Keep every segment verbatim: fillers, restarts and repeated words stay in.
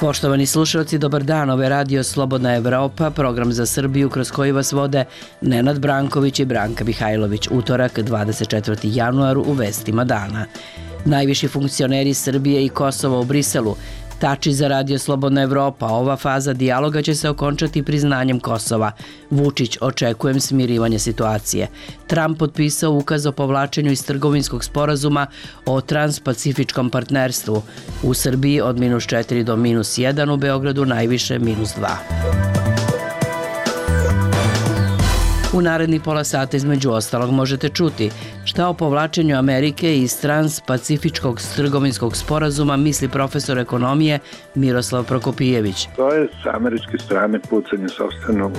Poštovani slušalci, dobar dan. Ovo je Radio Slobodna Evropa, program za Srbiju kroz koji vas vode Nenad Branković i Branka Mihajlović. Utorak, dvadeset četvrtog januara u vestima dana. Najviši funkcioneri Srbije i Kosova u Briselu. Tači za Radio Slobodna Evropa. Ova faza dijaloga će se okončati priznanjem Kosova. Vučić, očekujem smirivanje situacije. Trump potpisao ukaz o povlačenju iz trgovinskog sporazuma o transpacifičkom partnerstvu. U Srbiji od minus četiri do minus jedan, u Beogradu najviše minus dva. U naredni pola sata između ostalog možete čuti šta o povlačenju Amerike iz transpacifičkog trgovinskog sporazuma misli profesor ekonomije Miroslav Prokopijević. To je s američke strane pucanje sopstvenog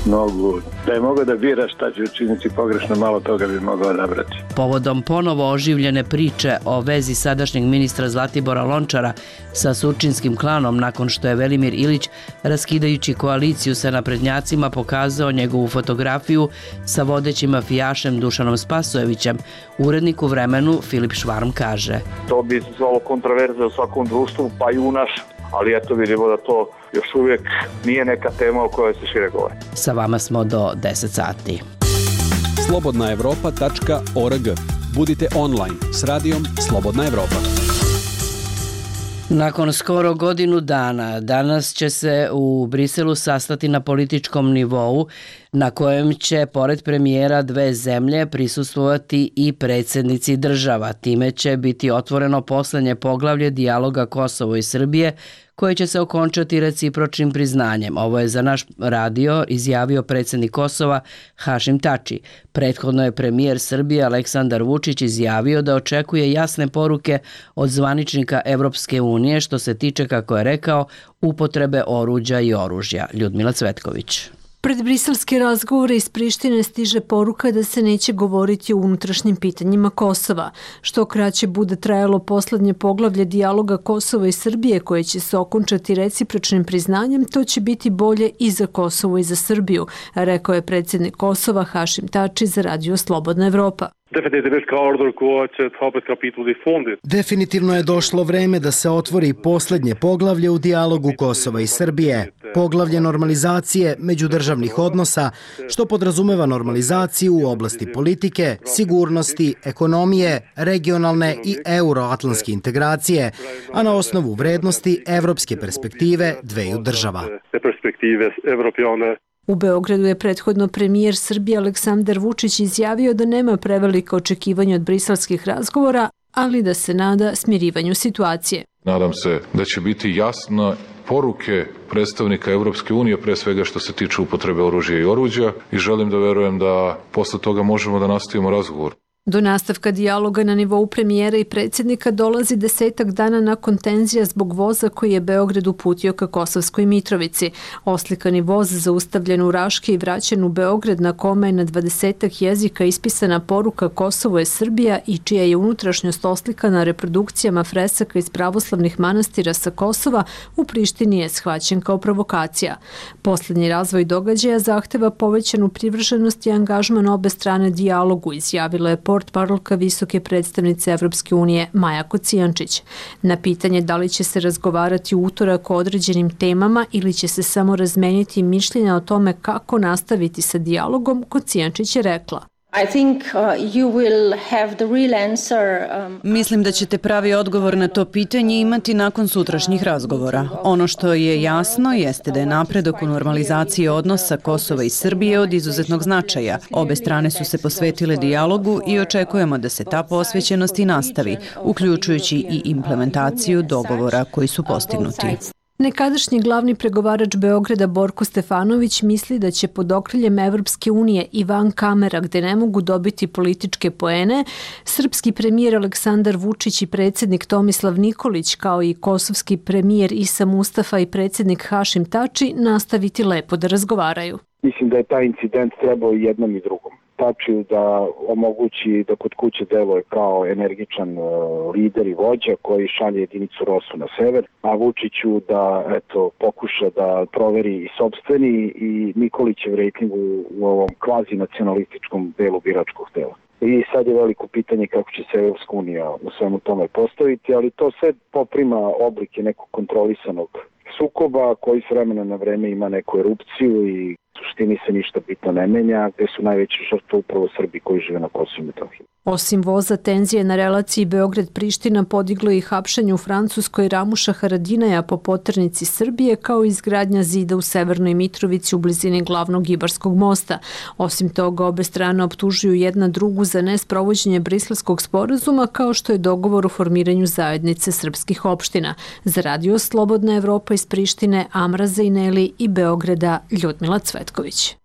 nogu. Da je mogao da bira šta će učiniti pogrešno, malo toga bi mogao odabrati. Povodom ponovo oživljene priče o vezi sadašnjeg ministra Zlatibora Lončara sa surčinskim klanom nakon što je Velimir Ilić, raskidajući koaliciju sa naprednjacima, pokazao njegovu fotografiju sa vodećim mafijašem Dušanom Spasojevićem, urednik u Vremenu Filip Švarm kaže: To bi izazvalo kontroverze u svakom društvu, pa i u našem. Ali eto, vidimo da to još uvijek nije neka tema o kojoj se šire govori. Sa vama smo do deset sati. slobodna evropa tačka org. Budite online s radijom Slobodna Evropa. Nakon skoro godinu dana, danas će se u Briselu sastati na političkom nivou na kojem će, pored premijera dve zemlje, prisustvovati i predsjednici država. Time će biti otvoreno poslednje poglavlje dijaloga Kosovo i Srbije, koje će se okončati recipročnim priznanjem. Ovo je za naš radio izjavio predsjednik Kosova Hašim Tači. Prethodno je premijer Srbije Aleksandar Vučić izjavio da očekuje jasne poruke od zvaničnika Evropske unije što se tiče, kako je rekao, upotrebe oruđa i oružja. Ljudmila Cvetković. Pred briselske razgovore iz Prištine stiže poruka da se neće govoriti o unutrašnjim pitanjima Kosova. Što kraće bude trajalo poslednje poglavlje dijaloga Kosova i Srbije koje će se okončati recipročnim priznanjem, to će biti bolje i za Kosovo i za Srbiju, rekao je predsjednik Kosova Hašim Tači za Radio Slobodna Evropa. Definitivno je došlo vreme da se otvori poslednje poglavlje u dijalogu Kosova i Srbije. Poglavlje normalizacije međudržavnih odnosa, što podrazumeva normalizaciju u oblasti politike, sigurnosti, ekonomije, regionalne i euroatlantske integracije, a na osnovu vrednosti evropske perspektive dveju država. U Beogradu je prethodno premijer Srbije Aleksandar Vučić izjavio da nema prevelika očekivanja od briselskih razgovora, ali da se nada smirivanju situacije. Nadam se da će biti jasno poruke predstavnika Evropske unije, pre svega što se tiče upotrebe oružja i oruđa, i želim da verujem da posle toga možemo da nastavimo razgovor. Do nastavka dijaloga na nivou premijera i predsjednika dolazi desetak dana nakon tenzija zbog voza koji je Beograd uputio ka Kosovskoj Mitrovici. Oslikani voz zaustavljen u Raški i vraćen u Beograd, na kome je na dvadesetak jezika ispisana poruka Kosovo je Srbija i čija je unutrašnjost oslikana reprodukcijama fresaka iz pravoslavnih manastira sa Kosova, u Prištini je shvaćen kao provokacija. Poslednji razvoj događaja zahteva povećanu privrženost i angažman obe strane dijalogu, izjavila je portparolka visoke predstavnice Evropske unije Maja Kocijančić. Na pitanje da li će se razgovarati u utorak o određenim temama ili će se samo razmeniti mišljenja o tome kako nastaviti sa dijalogom, Kocijančić je rekla: Mislim da ćete pravi odgovor na to pitanje imati nakon sutrašnjih razgovora. Ono što je jasno jeste da je napredak u normalizaciji odnosa Kosova i Srbije od izuzetnog značaja. Obe strane su se posvetile dijalogu i očekujemo da se ta posvećenost i nastavi, uključujući i implementaciju dogovora koji su postignuti. Nekadašnji glavni pregovarač Beograda Borko Stefanović misli da će pod okriljem Evropske unije i van kamera, gde ne mogu dobiti političke poene, srpski premijer Aleksandar Vučić i predsjednik Tomislav Nikolić, kao i kosovski premijer Isa Mustafa i predsjednik Hašim Tači, nastaviti lepo da razgovaraju. Mislim da je taj incident trebao i jednom i drugom. Tači da omogući da kod kuće deluje kao energičan lider i vođa koji šalje jedinicu Rosu na sever, a Vučiću da eto pokuša da proveri i sopstveni i Nikolićev rejting u, u ovom kvazi nacionalističkom delu biračkog tela. i sad je veliko pitanje kako će se Evropska unija u svemu tome postaviti, ali to sve poprima oblike nekog kontrolisanog sukoba koji s vremena na vreme ima neku erupciju i u suštini se ništa bitno ne menja, gde su najveće žrtve upravo Srbi koji žive na Kosovu i Metohiji. Osim voza, tenzije na relaciji Beograd-Priština podiglo i hapšenje u Francuskoj Ramuša Haradinaja po poternici Srbije, kao i izgradnja zida u Severnoj Mitrovici u blizini glavnog Ibarskog mosta. Osim toga, obe strane optužuju jedna drugu za nesprovođenje Briselskog sporazuma, kao što je dogovor o formiranju zajednice srpskih opština. Za Radio Slobodna Evropa iz Prištine, Amra Zajneli i Beograda, Ljudmila Cvetković.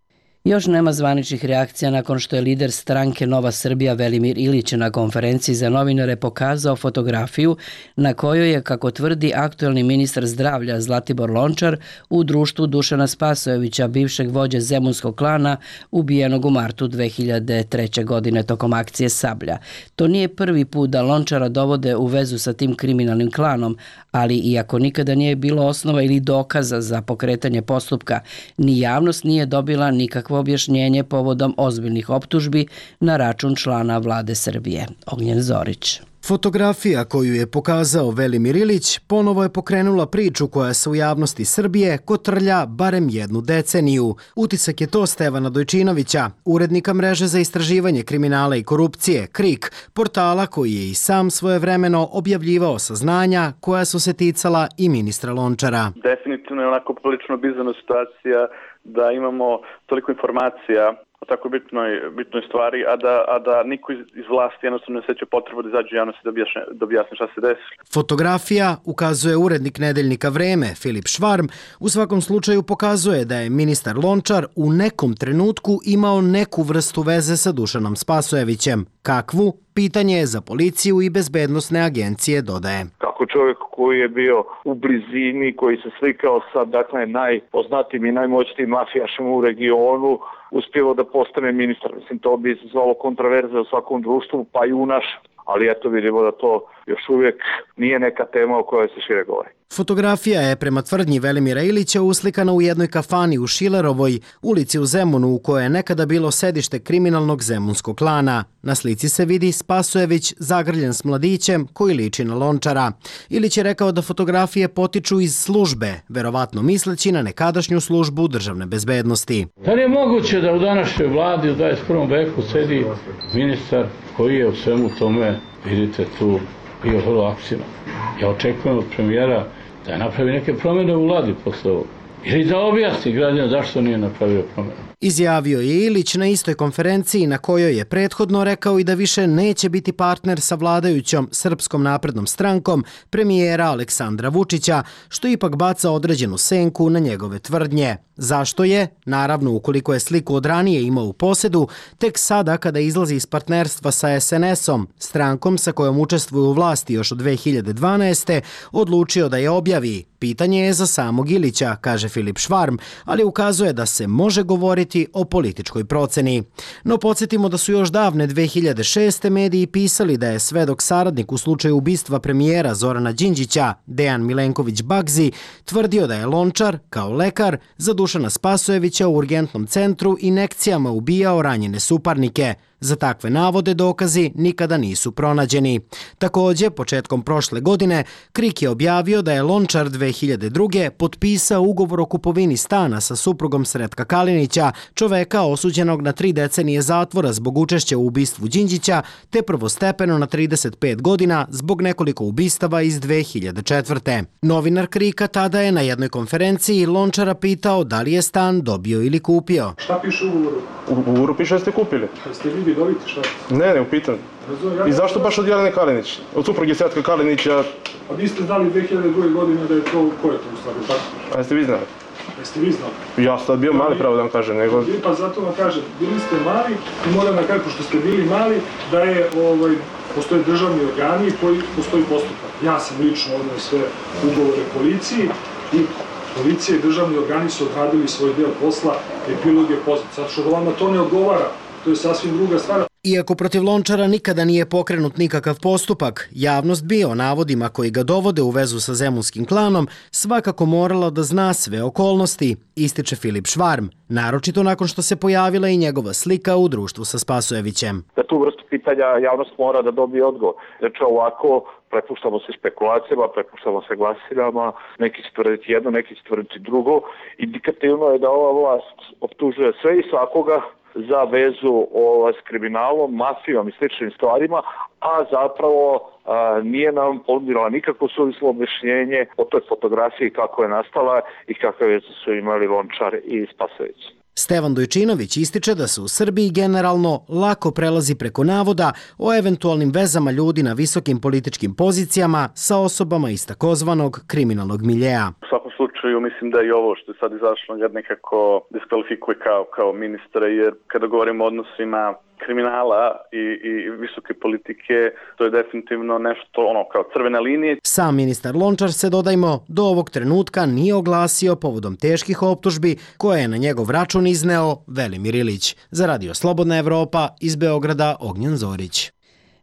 Još nema zvaničnih reakcija nakon što je lider stranke Nova Srbija Velimir Ilić na konferenciji za novinare pokazao fotografiju na kojoj je, kako tvrdi aktuelni ministar zdravlja Zlatibor Lončar, u društvu Dušana Spasojevića, bivšeg vođe zemunskog klana, ubijenog u martu dve hiljade treće. godine tokom akcije Sablja. To nije prvi put da Lončara dovode u vezu sa tim kriminalnim klanom, ali iako nikada nije bilo osnova ili dokaza za pokretanje postupka, ni javnost nije dobila nikakvo objašnjenje povodom ozbiljnih optužbi na račun člana vlade Srbije. Ognjen Zorić. Fotografija koju je pokazao Velimir Ilić ponovo je pokrenula priču koja se u javnosti Srbije kotrlja barem jednu deceniju. Utisak je to Stevana Dojčinovića, urednika mreže za istraživanje kriminala i korupcije, KRIK, portala koji je i sam svojevremeno objavljivao saznanja koja su se ticala i ministra Lončara. Definitivno je onako prilično bizarna situacija da imamo toliko informacija o tako bitnoj, bitnoj stvari, a da, a da niko iz, iz vlasti jednostavno ne seća potrebu da izađe u javnosti da objasne, da objasne šta se desilo. Fotografija, ukazuje urednik nedeljnika Vreme, Filip Švarm, u svakom slučaju pokazuje da je ministar Lončar u nekom trenutku imao neku vrstu veze sa Dušanom Spasojevićem. Kakvu? Pitanje je za policiju i bezbednosne agencije, dodaje. Kako čovjek koji je bio u blizini, koji se slikao sa dakle, najpoznatijim i najmoćnijim mafijašima u regionu, uspjevao da postane ministar. Mislim, to bi zvalo kontraverze u svakom društvu, pa i u našem. Ali eto vidimo da to još uvijek nije neka tema o kojoj se šire govori. Fotografija je prema tvrdnji Velimira Ilića uslikana u jednoj kafani u Šilerovoj, ulici u Zemunu, u kojoj je nekada bilo sedište kriminalnog zemunskog klana. Na slici se vidi Spasojević zagrljen s mladićem koji liči na Lončara. Ilić je rekao da fotografije potiču iz službe, verovatno misleći na nekadašnju službu državne bezbednosti. Da li je moguće da u današnjoj vladi u dvadeset prvom veku sedi ministar koji je u svemu tome, vidite, tu bio vrlo aktivan? Ja očekujem od premijera da napravi neke promjene u vladi posle ovog. Ili da objasni građana zašto nije napravio promjene. Izjavio je Ilić na istoj konferenciji na kojoj je prethodno rekao i da više neće biti partner sa vladajućom Srpskom naprednom strankom premijera Aleksandra Vučića, što ipak baca određenu senku na njegove tvrdnje. Zašto je? Naravno, ukoliko je sliku od ranije imao u posedu, tek sada kada izlazi iz partnerstva sa es en esom, strankom sa kojom učestvuje u vlasti još od dve hiljade dvanaeste. odlučio da je objavi. Pitanje je za samog Ilića, kaže Filip Švarm, ali ukazuje da se može govoriti o političkoj proceni. No podsjetimo da su još davne dve hiljade šeste. mediji pisali da je svedok saradnik u slučaju ubistva premijera Zorana Đinđića, Dejan Milenković Bagzi, tvrdio da je Lončar, kao lekar, za Dušana Spasojevića u urgentnom centru injekcijama ubijao ranjene suparnike. Za takve navode dokazi nikada nisu pronađeni. Također, početkom prošle godine, KRIK je objavio da je Lončar dve hiljade druge. potpisao ugovor o kupovini stana sa suprugom Sretka Kalinića, čoveka osuđenog na tri decenije zatvora zbog učešća u ubistvu Đinđića, te prvostepeno na trideset pet godina zbog nekoliko ubistava iz dve hiljade četvrte. Novinar KRIK-a tada je na jednoj konferenciji Lončara pitao da li je stan dobio ili kupio. Šta piše u ugovoru? U ugovoru piše da ste kupili. Ste vi vidoviti šta? Ne, ne, upitan. I zašto baš od Jelene Kalinić? Od supruge Sretka Kalinića? A vi ste znali dve hiljade druge. godine da je to, ko je to u stvari, tako? A jeste vi znali? Jeste vi znali? Ja sam bio mali, pravo da vam kažem, nego... Pa zato vam kažem, bili ste mali i moram da kažem, pošto ste bili mali, da je, ovaj, postoje državni organi koji postoji postupak. Ja sam lično odneo sve ugovore policiji i policija i državni organi su odradili svoj deo posla, epilog je poznat. Zato što da vama to ne odgovara, to je sasvim druga stvar. Iako protiv Lončara nikada nije pokrenut nikakav postupak, javnost bi o navodima koji ga dovode u vezu sa zemunskim klanom svakako morala da zna sve okolnosti, ističe Filip Švarm, naročito nakon što se pojavila i njegova slika u društvu sa Spasojevićem. Da tu vrstu pitanja javnost mora da dobije odgovor. Znači ovako prepuštamo se špekulacijama, prepuštamo se glasiljama, neki će tvrditi jedno, neki će tvrditi drugo. Indikativno je da ova vlast optužuje sve i svakoga za vezu o, s kriminalom, mafijom i sličnim stvarima, a zapravo a, nije nam ponudila nikakvo suvislo objašnjenje o toj fotografiji kako je nastala i kakve veze su imali Lončar i Spasojević. Stevan Dojčinović ističe da se u Srbiji generalno lako prelazi preko navoda o eventualnim vezama ljudi na visokim političkim pozicijama sa osobama iz takozvanog kriminalnog miljeja. U svakom slučaju mislim da i ovo što je sad izašlo ga nekako diskvalifikuje kao, kao ministra, jer kada govorimo o odnosima kriminala i, i visoke politike, to je definitivno nešto ono kao crvene linije. Sam ministar Lončar se, dodajmo, do ovog trenutka nije oglasio povodom teških optužbi koje je na njegov račun izneo Velimir Ilić. Za Radio Slobodna Evropa, iz Beograda, Ognjen Zorić.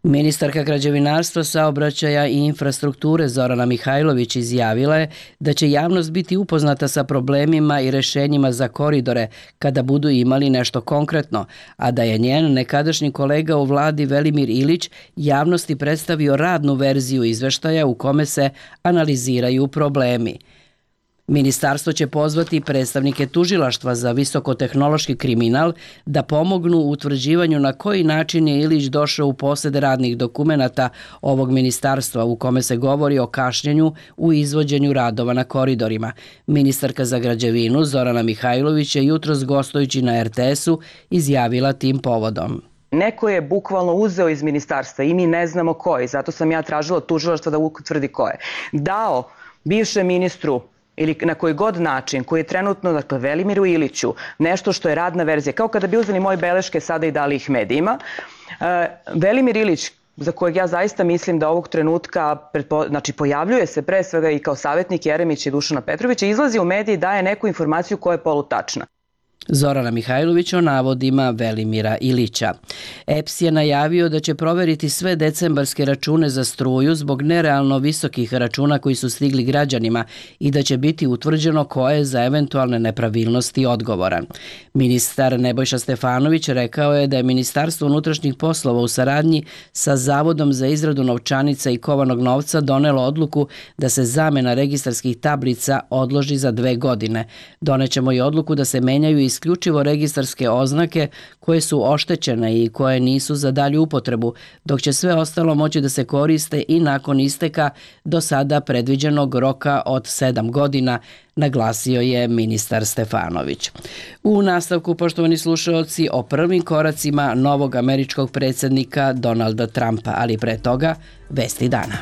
Ministarka građevinarstva, saobraćaja i infrastrukture Zorana Mihajlović izjavila je da će javnost biti upoznata sa problemima i rešenjima za koridore kada budu imali nešto konkretno, a da je njen nekadašnji kolega u vladi Velimir Ilić javnosti predstavio radnu verziju izveštaja u kome se analiziraju problemi. Ministarstvo će pozvati predstavnike tužilaštva za visokotehnološki kriminal da pomognu u utvrđivanju na koji način je Ilić došao u posed radnih dokumenata ovog ministarstva u kome se govori o kašnjenju u izvođenju radova na koridorima. Ministarka za građevinu Zorana Mihajlović je jutros gostujući na er te esu izjavila tim povodom. Neko je bukvalno uzeo iz ministarstva i mi ne znamo ko je, zato sam ja tražila tužilaštva da utvrdi ko je. Dao bivšem ministru ili na koji god način, koji je trenutno, dakle, Velimiru Iliću, nešto što je radna verzija, kao kada bi uzeli moje beleške sada i dali ih medijima. E, Velimir Ilić, za kojeg ja zaista mislim da ovog trenutka, pretpo, znači pojavljuje se pre svega i kao savjetnik Jeremića i Dušana Petrovića, izlazi u mediji i daje neku informaciju koja je polutačna. Zorana Mihajlović o navodima Velimira Ilića. E P S je najavio da će proveriti sve decembarske račune za struju zbog nerealno visokih računa koji su stigli građanima i da će biti utvrđeno ko je za eventualne nepravilnosti odgovoran. Ministar Nebojša Stefanović rekao je da je Ministarstvo unutrašnjih poslova u saradnji sa Zavodom za izradu novčanica i kovanog novca donelo odluku da se zamena registarskih tablica odloži za dve godine. Donećemo i odluku da se menjaju i isključivo registarske oznake koje su oštećene i koje nisu za dalju upotrebu, dok će sve ostalo moći da se koriste i nakon isteka do sada predviđenog roka od sedam godina, naglasio je ministar Stefanović. U nastavku, poštovani slušaoci, o prvim koracima novog američkog predsjednika Donalda Trumpa, ali pre toga vesti dana.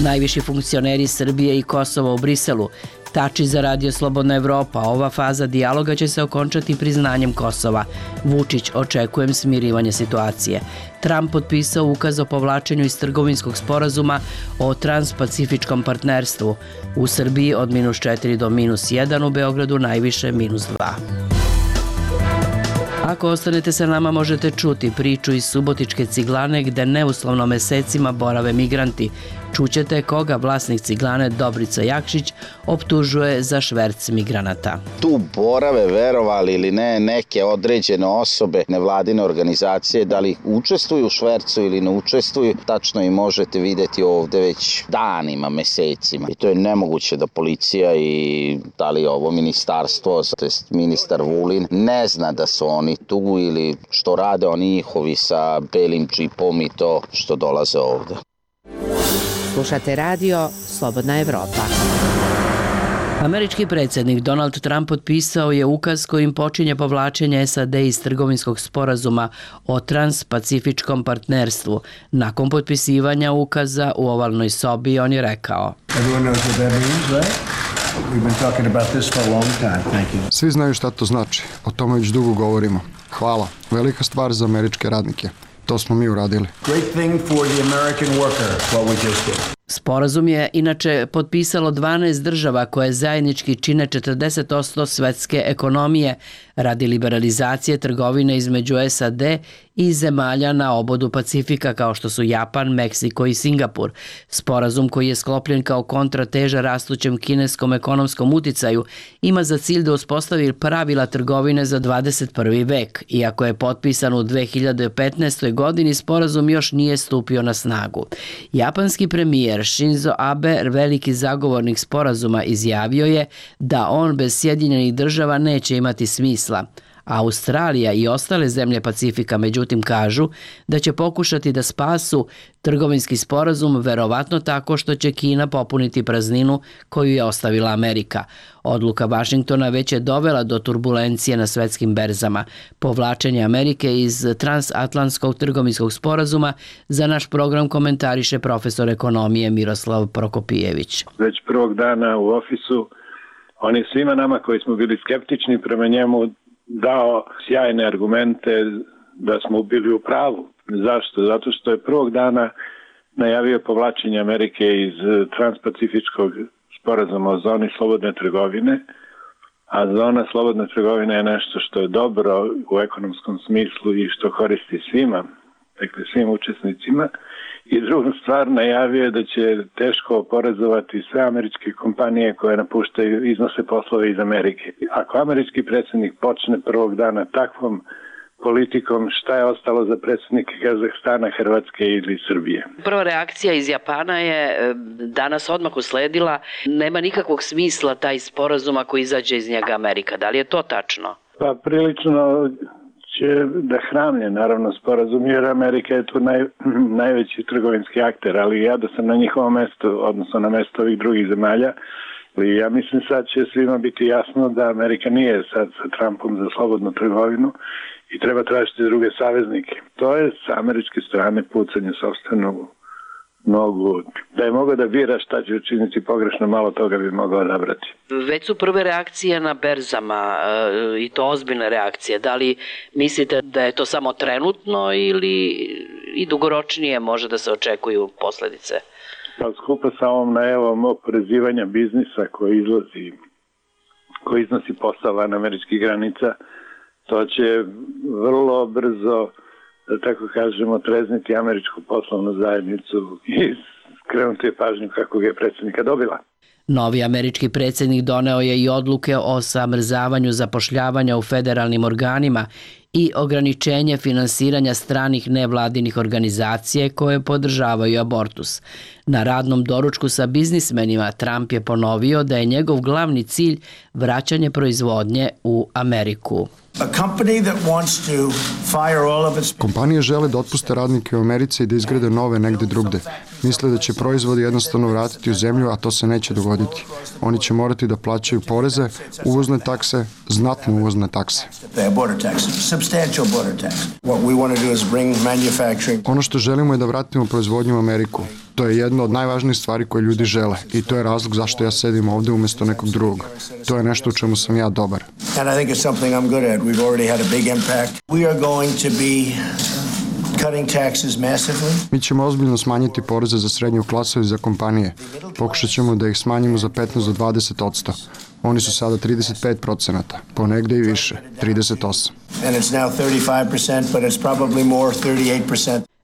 Najviši funkcioneri Srbije i Kosova u Briselu Tači za Radio Slobodna Evropa. Ova faza dijaloga će se okončati priznanjem Kosova. Vučić, očekujem smirivanje situacije. Trump potpisao ukaz o povlačenju iz trgovinskog sporazuma o transpacifičkom partnerstvu. U Srbiji od minus četiri do minus jedan, u Beogradu najviše minus dva. Ako ostanete sa nama, možete čuti priču iz Subotičke ciglane gde neuslovno mesecima borave migranti. Čućete koga vlasnik ciglane Dobrica Jakšić optužuje za šverc migranata. Tu borave, verovali ili ne, neke određene osobe, nevladine organizacije, da li učestvuju u švercu ili ne učestvuju, tačno i možete vidjeti ovde već danima, mesecima. I to je nemoguće da policija i da li ovo ministarstvo, to jest ministar Vulin, ne zna da su oni tu ili što rade oni njihovi sa belim džipom i to što dolaze ovde. Slušate radio Slobodna Evropa. Američki predsjednik Donald Trump potpisao je ukaz kojim počinje povlačenje S A D iz trgovinskog sporazuma o transpacifičkom partnerstvu. Nakon potpisivanja ukaza u ovalnoj sobi on je rekao: Svi znaju šta to znači. O tome već dugo govorimo. Hvala. Velika stvar za američke radnike. To smo mi uradili. Sporazum je inače potpisalo dvanaest država koje zajednički čine četrdeset posto svetske ekonomije radi liberalizacije trgovine između S A D i zemalja na obodu Pacifika kao što su Japan, Meksiko i Singapur. Sporazum koji je sklopljen kao kontrateža rastućem kineskom ekonomskom uticaju ima za cilj da uspostavi pravila trgovine za dvadeset prvi vek. Iako je potpisan u dve hiljade petnaestoj. godini, sporazum još nije stupio na snagu. Japanski premijer Shinzo Abe, veliki zagovornik sporazuma, izjavio je da on bez Sjedinjenih država neće imati smisla. Australija i ostale zemlje Pacifika međutim kažu da će pokušati da spasu trgovinski sporazum verovatno tako što će Kina popuniti prazninu koju je ostavila Amerika. Odluka Vašingtona već je dovela do turbulencije na svetskim berzama. Povlačenje Amerike iz transatlantskog trgovinskog sporazuma za naš program komentariše profesor ekonomije Miroslav Prokopijević. Već prvog dana u ofisu on je svima nama koji smo bili skeptični prema njemu dao sjajne argumente da smo bili u pravu. Zašto? Zato što je prvog dana najavio povlačenje Amerike iz transpacifičkog sporazuma o zoni slobodne trgovine, a zona slobodne trgovine je nešto što je dobro u ekonomskom smislu i što koristi svima, dakle svim učesnicima. I drugu stvar, najavio je da će teško oporezovati sve američke kompanije koje napuštaju, iznose poslove iz Amerike. Ako američki predsjednik počne prvog dana takvom politikom, šta je ostalo za predsjednike Kazahstana, Hrvatske ili Srbije? Prva reakcija iz Japana je danas odmah usledila, nema nikakvog smisla taj sporazum ako izađe iz njega Amerika. Da li je to tačno? Pa prilično će da hramlje, naravno, sporazum, jer Amerika je tu naj, najveći trgovinski akter, ali ja da sam na njihovom mestu, odnosno na mestu ovih drugih zemalja, i ja mislim sad će svima biti jasno da Amerika nije sad sa Trumpom za slobodnu trgovinu i treba tražiti druge saveznike. To je sa američke strane pucanje sopstvenu nogu. Da je mogao da bira šta će učiniti pogrešno, malo toga bi mogao odabrati. Već su prve reakcije na berzama i to ozbiljne reakcije. Da li mislite da je to samo trenutno ili i dugoročnije može da se očekuju posledice? Pa skupa sa ovom najavom oporezivanja biznisa koji izlazi, koji iznosi posao van američkih granica, to će vrlo brzo, da tako kažemo, trezniti američku poslovnu zajednicu i skrenuti je pažnju kako ga je predsjednika dobila. Novi američki predsjednik doneo je i odluke o zamrzavanju zapošljavanja u federalnim organima i ograničenje finansiranja stranih nevladinih organizacije koje podržavaju abortus. Na radnom doručku sa biznismenima Trump je ponovio da je njegov glavni cilj vraćanje proizvodnje u Ameriku. Kompanije žele da otpuste radnike u Americi i da izgrade nove negde drugde. Misle da će proizvodi jednostavno vratiti u zemlju, a to se neće dogoditi. Oni će morati da plaćaju poreze, uvozne takse, znatne uvozne takse. Ono što želimo je da vratimo proizvodnju u Ameriku. To je jedna od najvažnijih stvari koje ljudi žele i to je razlog zašto ja sedim ovde umjesto nekog drugog. To je nešto u čemu sam ja dobar. Mi ćemo ozbiljno smanjiti poreze za srednju klasu i za kompanije. Pokušat ćemo da ih smanjimo za petnaest do dvadeset odsto. Oni su sada trideset pet procenata, ponegde i više, trideset osam.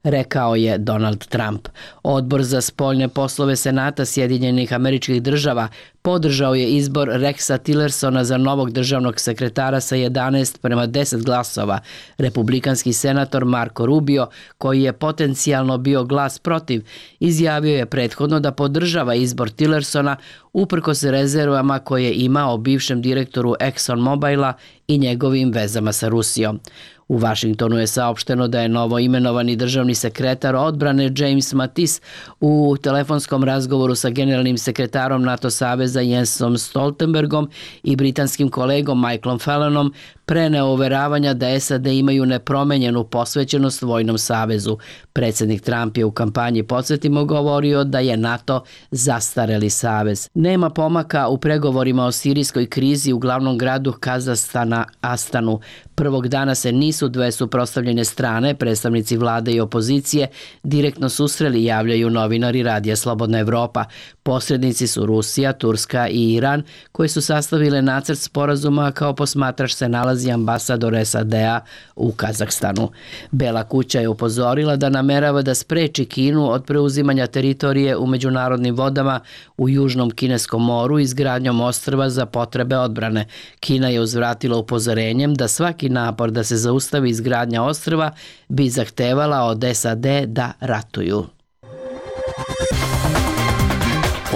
Rekao je Donald Trump. Odbor za spoljne poslove Senata Sjedinjenih Američkih Država podržao je izbor Rexa Tillersona za novog državnog sekretara sa jedanaest prema deset glasova. Republikanski senator Marco Rubio, koji je potencijalno bio glas protiv, izjavio je prethodno da podržava izbor Tillersona uprkos rezervama koje je imao bivšem direktoru ExxonMobila i njegovim vezama sa Rusijom. U Vašingtonu je saopšteno da je novo imenovani državni sekretar odbrane James Mattis u telefonskom razgovoru sa generalnim sekretarom NATO saveza Jensom Stoltenbergom i britanskim kolegom Michaelom Fallonom preneo uveravanja da S A D imaju nepromenjenu posvećenost vojnom savezu. Predsjednik Trump je u kampanji, podsjetimo, govorio da je NATO zastareli savez. Nema pomaka u pregovorima o sirijskoj krizi u glavnom gradu Kazahstana Astanu. Prvog dana se nisu dve suprotstavljene strane, predstavnici vlade i opozicije, direktno susreli, javljaju novinari Radija Slobodna Evropa. Posrednici su Rusija, Turska i Iran, koji su sastavile nacrt sporazuma, kao posmatrač se nalazi ambasador S A D-a u Kazahstanu. Bela kuća je upozorila da namerava da spreči Kinu od preuzimanja teritorije u međunarodnim vodama u Južnom Kineskom moru izgradnjom ostrva za potrebe odbrane. Kina je uzvratila upozorenjem da svaki napor da se zaustavi izgradnja ostrva bi zahtevala od S A D da ratuju.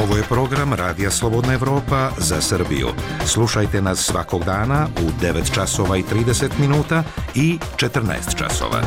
Ovo je program Radija Slobodna Evropa za Srbiju. Slušajte nas svakog dana u devet časova i trideset minuta i četrnaest časova.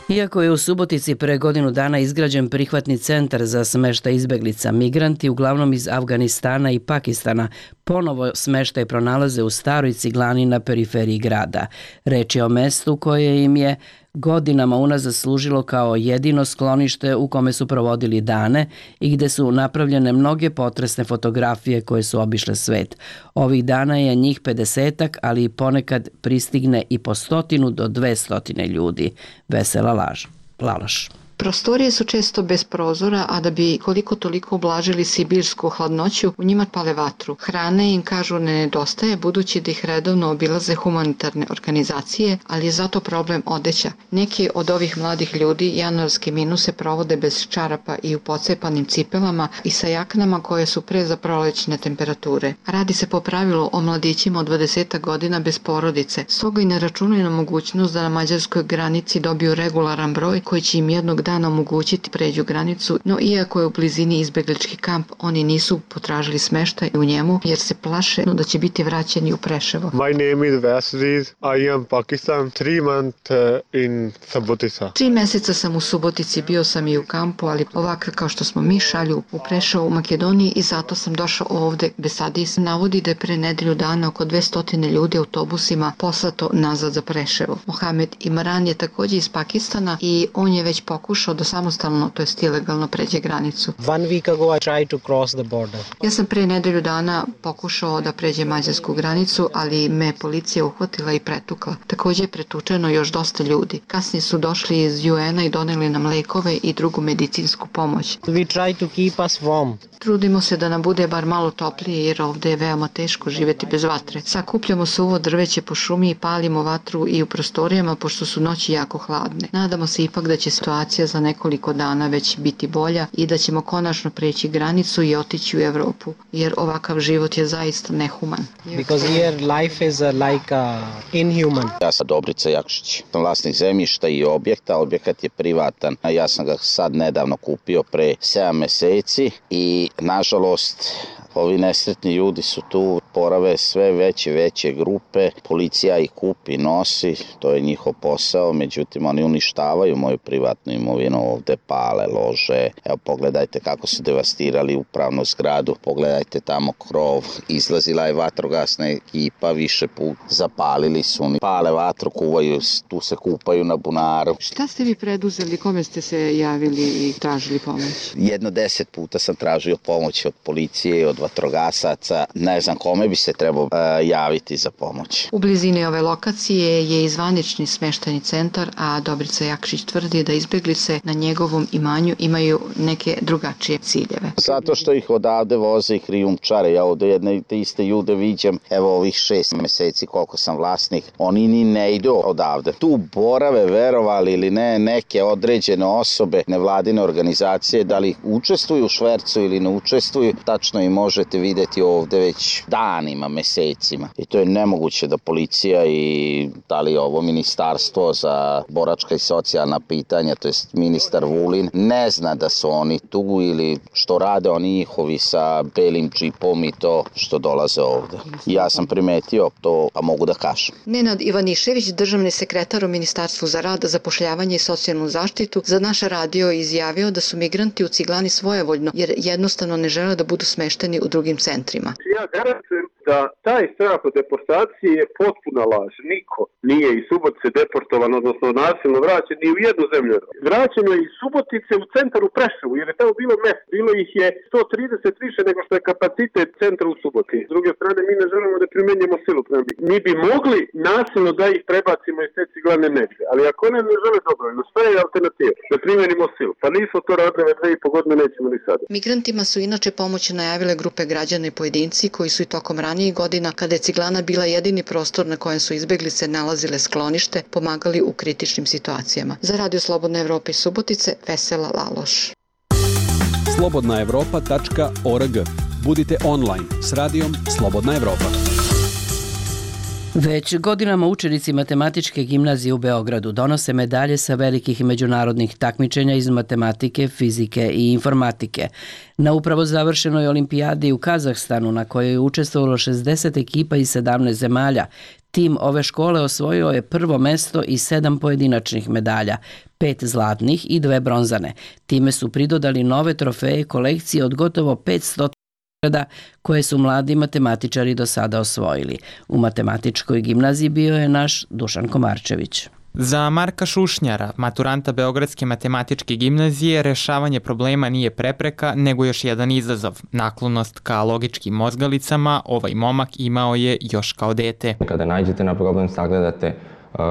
Iako je u Subotici pre godinu dana izgrađen prihvatni centar za smeštaj izbeglica, migranti, uglavnom iz Afganistana i Pakistana, ponovo smeštaj pronalaze u staroj ciglani na periferiji grada. Reč je o mestu koje im je godinama unazad služilo kao jedino sklonište u kome su provodili dane i gde su napravljene mnoge potresne fotografije koje su obišle svet. Ovih dana je njih pedesetak, ali ponekad pristigne i po stotinu do dve stotine ljudi. Vesela laž. Lalaš. Prostorije su često bez prozora, a da bi koliko toliko ublažili sibirsku hladnoću, u njima pale vatru. Hrane im, kažu, ne nedostaje, budući da ih redovno obilaze humanitarne organizacije, ali je zato problem odeća. Neki od ovih mladih ljudi januarske minuse provode bez čarapa i u pocepanim cipelama i sa jaknama koje su pre za prolećne temperature. Radi se po pravilu o mladićima od dvadeset godina bez porodice, stoga i ne računaju na mogućnost da na mađarskoj granici dobiju regularan broj koji će im jednog dana omogućiti pređu granicu, no iako je u blizini izbeglički kamp, oni nisu potražili smeštaj u njemu jer se plaše da će biti vraćeni u Preševo. My name is Vasriz. I am Pakistan. Three month in Subotica. Tri meseca sam u Subotici, bio sam i u kampu, ali ovako kao što smo mi šalju u Preševo u Makedoniji i zato sam došao ovde. Besadis navodi da je pre nedelju dana oko dvesta ljudi autobusima poslato nazad za Preševo. Mohamed Imran je također iz Pakistana i on je već pokušao da samostalno, to jest ilegalno, pređe granicu. One week ago I tried to cross the border. Ja sam pre nedelju dana pokušao da pređe mađarsku granicu, ali me policija uhvatila i pretukla. Također je pretučeno još dosta ljudi. Kasnije su došli iz U N-a i doneli nam lekove i drugu medicinsku pomoć. We try to keep us warm. Trudimo se da nam bude bar malo toplije jer ovde je veoma teško živjeti bez vatre. Sakupljamo suvo drveće po šumi i palimo vatru i u prostorijama pošto su noći jako hladne. Nadamo se ipak da će situacija za nekoliko dana već biti bolja i da ćemo konačno preći granicu i otići u Evropu, jer ovakav život je zaista nehuman. Because here life is like uh, inhuman. Ja sam Dobrica Jakšić, sam vlasnik zemljišta i objekta, objekat je privatan. Ja sam ga sad nedavno kupio pre sedam meseci i nažalost ovi nesretni ljudi su tu, porave sve veće veće grupe, policija ih kupi, nosi, to je njihov posao, međutim oni uništavaju moju privatnu imovinu, ovde pale, lože, evo pogledajte kako su devastirali upravnu zgradu, pogledajte tamo krov, izlazila je vatrogasna ekipa više put, zapalili su oni, pale vatru, kuvaju, tu se kupaju na bunaru. Šta ste vi preduzeli, kome ste se javili i tražili pomoć? Jedno deset puta sam tražio pomoć od policije, od vatrogasaca, ne znam kome bi se trebao uh, javiti za pomoć. U blizini ove lokacije je i zvanični smeštajni centar, a Dobrica Jakšić tvrdi da izbeglice na njegovom imanju imaju neke drugačije ciljeve. Zato što ih odavde voze i krijumčare. Ja ovde jedne te iste ljude viđam, evo ovih šest meseci koliko sam vlasnik, oni ni ne idu odavde. Tu borave, verovali ili ne, neke određene osobe, nevladine organizacije, da li učestvuju u švercu ili ne učestvuju, tačno i možete videti ovde već danima, mesecima. I to je nemoguće da policija i da li ovo ministarstvo za boračka i socijalna pitanja, to jest ministar Vulin, ne zna da su oni tu ili što rade oni njihovi sa belim džipom i to što dolaze ovde. Ja sam primetio to, a mogu da kažem. Nenad Ivanišević, državni sekretar u Ministarstvu za rad, zapošljavanje i socijalnu zaštitu, za naš radio izjavio da su migranti u Ciglani svojevoljno, jer jednostavno ne žele da budu smešteni u drugim centrima. Ja garantujem da taj strah od deportacije je potpuna laž. Niko nije iz Subotice deportovan, odnosno nasilno vraćen ni u jednu zemlju. Vraćeno je iz Subotice u centar u Preševu, jer je tamo bilo mesto. Bilo ih je sto trideset više nego što je kapacitet centra u Subotici. S druge strane, mi ne želimo da primenjujemo silu. Mi bi mogli nasilno da ih prebacimo iz te ciglane negde, ali ako one ne žele dobrovoljno, šta je alternativa? Da primenimo silu. Pa nismo to radili već dve i po godine, nećemo ni sada. Migrantima su inače pomoć najavile grupe građana i pojedinci koji su i tokom ranijih godina, kada je ciglana bila jedini prostor na kojem su izbeglice nalazile sklonište, pomagali u kritičnim situacijama. Za Radio Slobodna Evropa iz Subotice, Vesela Laloš. slobodna evropa tačka org. Budite online s radijom Slobodna Evropa. Već godinama učenici Matematičke gimnazije u Beogradu donose medalje sa velikih međunarodnih takmičenja iz matematike, fizike i informatike. Na upravo završenoj olimpijadi u Kazahstanu, na kojoj je učestvovalo šezdeset ekipa iz sedamnaest zemalja, tim ove škole osvojio je prvo mesto i sedam pojedinačnih medalja, pet zlatnih i dve bronzane. Time su pridodali nove trofeje kolekcije od gotovo petsto koje su mladi matematičari do sada osvojili. U Matematičkoj gimnaziji bio je naš Dušan Komarčević. Za Marka Šušnjara, maturanta Beogradske matematičke gimnazije, rešavanje problema nije prepreka, nego još jedan izazov. Naklonost ka logičkim mozgalicama ovaj momak imao je još kao dete. Kada nađete na problem, sagledate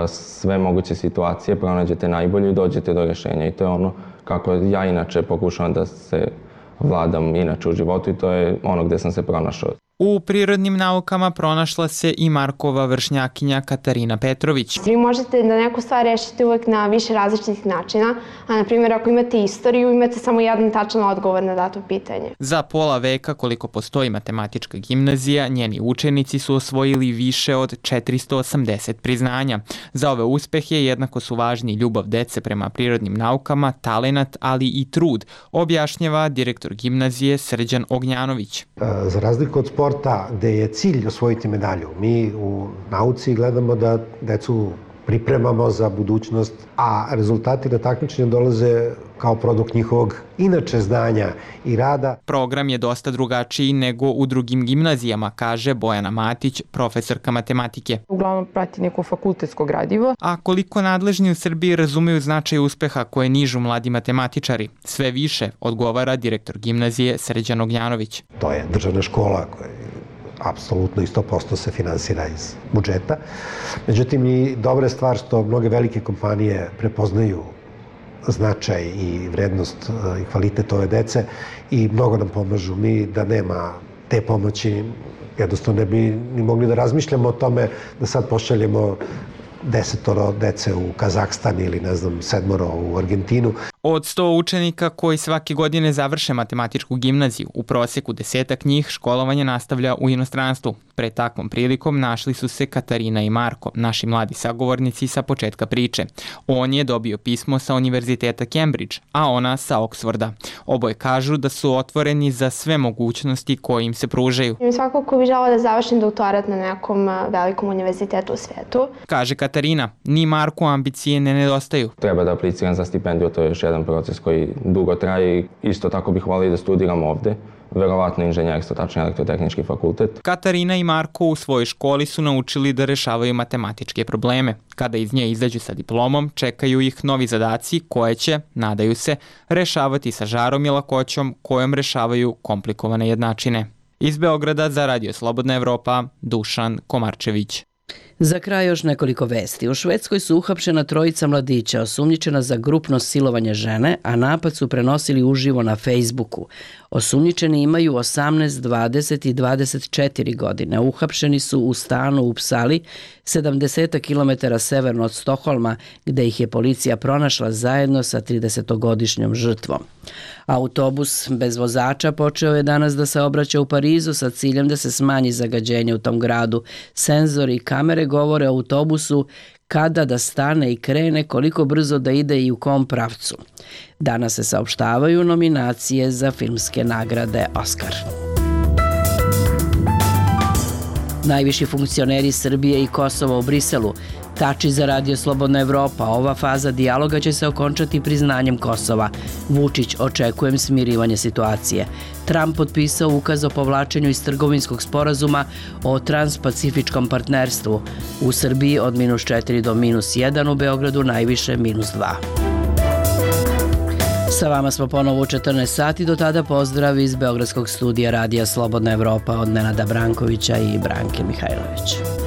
sve moguće situacije, pronađete najbolje i dođete do rešenja. I to je ono kako ja inače pokušavam da se vladam inače u životu i to je ono gde sam se pronašao. U prirodnim naukama pronašla se i Markova vršnjakinja Katarina Petrović. Vi možete da neku stvar rešite uvek na više različitih načina, a na primjer ako imate istoriju, imate samo jedan tačan odgovor na dato pitanje. Za pola veka koliko postoji Matematička gimnazija, njeni učenici su osvojili više od četiristo osamdeset priznanja. Za ove uspehe jednako su važni ljubav dece prema prirodnim naukama, talenat, ali i trud, objašnjava direktor gimnazije Srđan Ognjanović. Za razliku od sporta gde je cilj osvojiti medalju, mi u nauci gledamo da decu pripremamo za budućnost, a rezultati na takmičenju dolaze kao produkt njihovog inače znanja i rada. Program je dosta drugačiji nego u drugim gimnazijama, kaže Bojana Matić, profesorka matematike. Uglavnom prati neko fakultetsko gradivo. A koliko nadležni u Srbiji razumeju značaj uspeha koje nižu mladi matematičari? Sve više, odgovara direktor gimnazije Srđan Ognjanović. To je državna škola koja apsolutno i sto posto se finansira iz budžeta. Međutim, i dobra je stvar što mnoge velike kompanije prepoznaju značaj i vrednost i kvalitet ove dece i mnogo nam pomažu. Mi da nema te pomoći, jednostavno ne bi ni mogli da razmišljamo o tome da sad pošaljemo desetoro dece u Kazahstan ili ne znam sedmoro u Argentinu. Od sto učenika koji svake godine završe matematičku gimnaziju, u proseku desetak njih školovanje nastavlja u inostranstvu. Pred takvom prilikom našli su se Katarina i Marko, naši mladi sagovornici sa početka priče. On je dobio pismo sa Univerziteta Cambridge, a ona sa Oxforda. Oboje kažu da su otvoreni za sve mogućnosti koje im se pružaju. Svakako bih želala da završim doktorat na nekom velikom univerzitetu u svetu. Kaže Katarina, ni Marku ambicije ne nedostaju. Treba da apliciram za stipendiju, to je još jedan proces koji dugo traje i isto tako bih volio da studiram ovde. Verovatno inženjerstvo, tačnije elektrotehnički fakultet. Katarina i Marko u svojoj školi su naučili da rešavaju matematičke probleme. Kada iz nje izađu sa diplomom, čekaju ih novi zadaci koje će, nadaju se, rešavati sa žarom i lakoćom kojom rešavaju komplikovane jednačine. Iz Beograda za Radio Slobodna Evropa, Dušan Komarčević. Za kraj još nekoliko vesti. U Švedskoj su uhapšena trojica mladića osumnjičena za grupno silovanje žene, a napad su prenosili uživo na Facebooku. Osumnjičeni imaju osamnaest, dvadeset i dvadeset četiri godine. Uhapšeni su u stanu u Psali, sedamdeset kilometara severno od Stokholma, gde ih je policija pronašla zajedno sa tridesetogodišnjom žrtvom. Autobus bez vozača počeo je danas da se obraća u Parizu sa ciljem da se smanji zagađenje u tom gradu. Senzori i kamere govore o autobusu kada da stane i krene, koliko brzo da ide i u kom pravcu. Danas se saopštavaju nominacije za filmske nagrade Oskar. Najviši funkcioneri Srbije i Kosova u Briselu Tači za Radio Slobodna Evropa. Ova faza dijaloga će se okončati priznanjem Kosova. Vučić očekujem smirivanje situacije. Trump potpisao ukaz o povlačenju iz trgovinskog sporazuma o transpacifičkom partnerstvu. U Srbiji od minus četiri do minus jedan, u Beogradu najviše minus dva. Sa vama smo ponovo u četrnaest sati, do tada pozdrav iz Beogradskog studija Radija Slobodna Evropa od Nenada Brankovića i Branke Mihajlović.